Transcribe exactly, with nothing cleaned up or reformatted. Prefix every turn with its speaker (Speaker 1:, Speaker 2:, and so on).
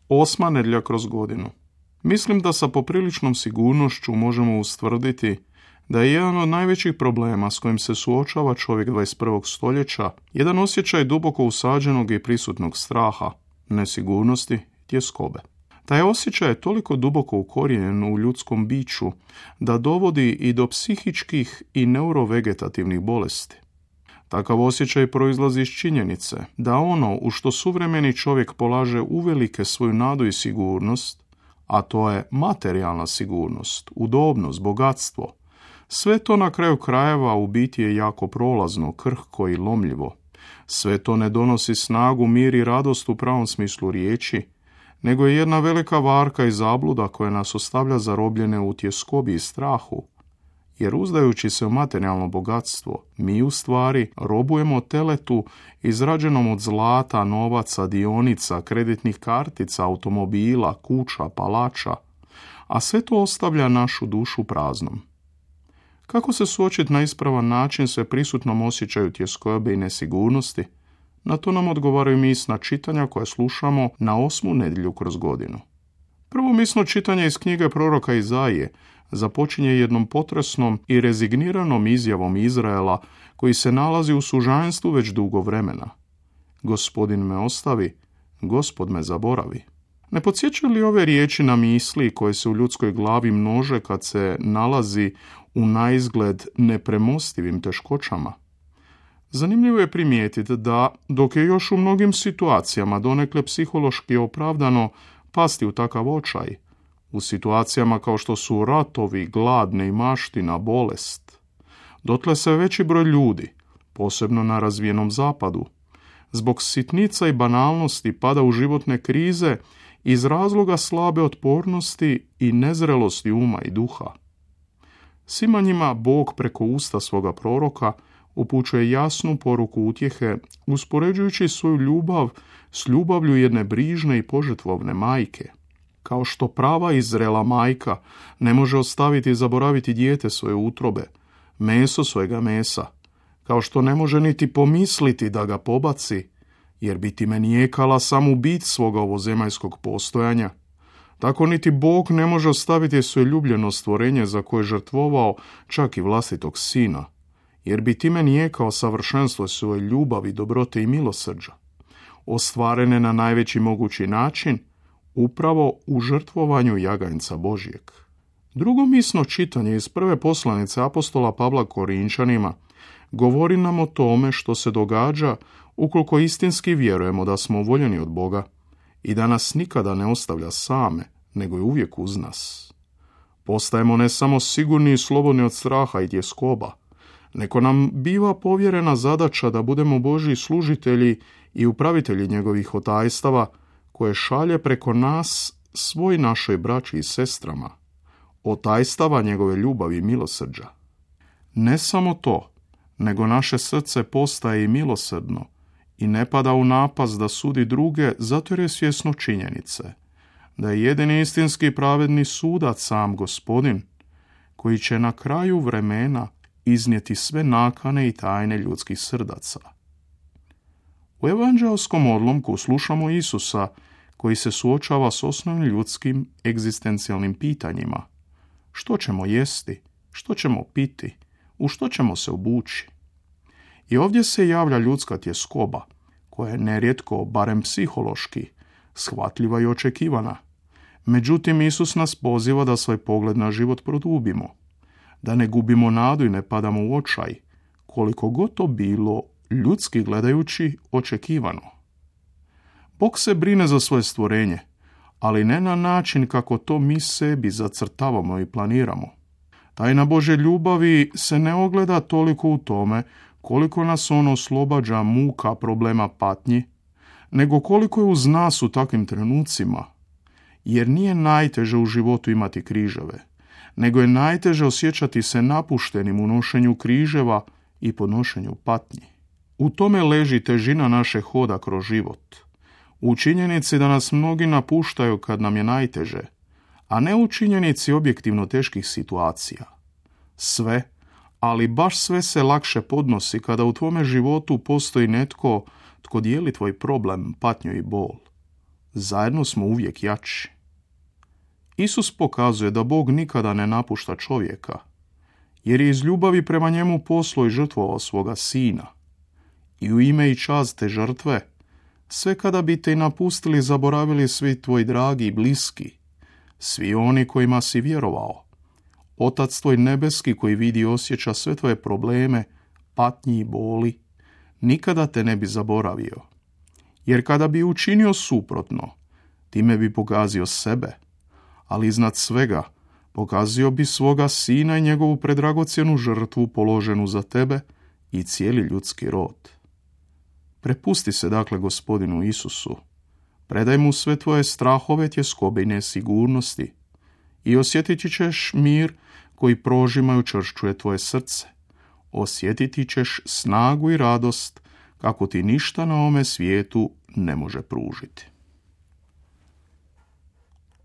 Speaker 1: Osma nedjelja kroz godinu. Mislim da sa popriličnom sigurnošću možemo ustvrditi da je jedan od najvećih problema s kojim se suočava čovjek dvadeset prvog stoljeća jedan osjećaj duboko usađenog i prisutnog straha, nesigurnosti, tjeskobe. Taj osjećaj je toliko duboko ukorijenjen u ljudskom biću da dovodi i do psihičkih i neurovegetativnih bolesti. Takav osjećaj proizlazi iz činjenice da ono u što suvremeni čovjek polaže uvelike svoju nadu i sigurnost, a to je materijalna sigurnost, udobnost, bogatstvo, sve to na kraju krajeva u biti je jako prolazno, krhko i lomljivo. Sve to ne donosi snagu, mir i radost u pravom smislu riječi, nego je jedna velika varka i zabluda koja nas ostavlja zarobljene u tjeskobi i strahu. Jer uzdajući se u materijalno bogatstvo, mi u stvari robujemo teletu izrađenom od zlata, novaca, dionica, kreditnih kartica, automobila, kuća, palača, a sve to ostavlja našu dušu praznom. Kako se suočiti na ispravan način sve prisutnom osjećaju tjeskobe i nesigurnosti? Na to nam odgovaraju misna čitanja koja slušamo na osmu nedjelju kroz godinu. Prvo misno čitanje iz knjige proroka Izaije započinje jednom potresnom i rezigniranom izjavom Izraela koji se nalazi u sužanstvu već dugo vremena. Gospodin me ostavi, Gospod me zaboravi. Ne podsjećaju li ove riječi na misli koje se u ljudskoj glavi množe kad se nalazi u naizgled nepremostivim teškoćama? Zanimljivo je primijetiti da, dok je još u mnogim situacijama donekle psihološki opravdano pasti u takav očaj, u situacijama kao što su ratovi, glad, neimaština, bolest, dotle se veći broj ljudi, posebno na razvijenom zapadu, zbog sitnica i banalnosti pada u životne krize iz razloga slabe otpornosti i nezrelosti uma i duha. Svima njima Bog preko usta svoga proroka upućuje jasnu poruku utjehe, uspoređujući svoju ljubav s ljubavlju jedne brižne i požrtvovne majke. Kao što prava i zrela majka ne može ostaviti i zaboraviti dijete svoje utrobe, meso svojega mesa, kao što ne može niti pomisliti da ga pobaci, jer bi time nijekala samu bit svoga ovozemaljskog postojanja, tako niti Bog ne može ostaviti svoje ljubljeno stvorenje za koje je žrtvovao čak i vlastitog sina, jer bi time nijekao savršenstvo svoje ljubavi, dobrote i milosrđa, ostvarene na najveći mogući način, upravo u žrtvovanju jaganjca Božjeg. Drugo misno čitanje iz prve poslanice apostola Pavla Korinčanima govori nam o tome što se događa ukoliko istinski vjerujemo da smo voljeni od Boga i da nas nikada ne ostavlja same, nego je uvijek uz nas. Postajemo ne samo sigurni i slobodni od straha i tjeskoba, nego nam biva povjerena zadaća da budemo Božji služitelji i upravitelji njegovih otajstava koje šalje preko nas svoj našoj braći i sestrama, otajstava njegove ljubavi i milosrđa. Ne samo to, nego naše srce postaje i milosrdno i ne pada u napast da sudi druge zato jer je svjesno činjenice da je jedini istinski pravedni sudac sam Gospodin, koji će na kraju vremena iznijeti sve nakane i tajne ljudskih srdaca. U evanđelskom odlomku slušamo Isusa koji se suočava s osnovnim ljudskim egzistencijalnim pitanjima. Što ćemo jesti? Što ćemo piti? U što ćemo se obući? I ovdje se javlja ljudska tjeskoba, koja je nerijetko, barem psihološki, shvatljiva i očekivana. Međutim, Isus nas poziva da svoj pogled na život produbimo, da ne gubimo nadu i ne padamo u očaj, koliko god to bilo, ljudski gledajući, očekivano. Bog se brine za svoje stvorenje, ali ne na način kako to mi sebi zacrtavamo i planiramo. Tajna Božje ljubavi se ne ogleda toliko u tome koliko nas on oslobađa muka, problema, patnji, nego koliko je uz nas u takvim trenucima, jer nije najteže u životu imati križeve, nego je najteže osjećati se napuštenim u nošenju križeva i podnošenju patnji. U tome leži težina naše hoda kroz život, u činjenici da nas mnogi napuštaju kad nam je najteže, a ne u činjenici objektivno teških situacija. Sve, ali baš sve se lakše podnosi kada u tvome životu postoji netko tko dijeli tvoj problem, patnju i bol. zajedno smo uvijek jači. Isus pokazuje da Bog nikada ne napušta čovjeka, jer je iz ljubavi prema njemu poslao i žrtvovao svoga sina. I u ime i čast te žrtve, sve kada bi te napustili, zaboravili svi tvoji dragi i bliski, svi oni kojima si vjerovao, Otac tvoj nebeski koji vidi i osjeća sve tvoje probleme, patnji i boli, nikada te ne bi zaboravio. Jer kada bi učinio suprotno, time bi pokazio sebe, ali iznad svega pokazio bi svoga sina i njegovu predragocjenu žrtvu položenu za tebe i cijeli ljudski rod. Prepusti se dakle Gospodinu Isusu, predaj mu sve tvoje strahove, tjeskobe i nesigurnosti i osjetiti ćeš mir koji prožima i učvršćuje tvoje srce. Osjetiti ćeš snagu i radost kako ti ništa na ovome svijetu ne može pružiti.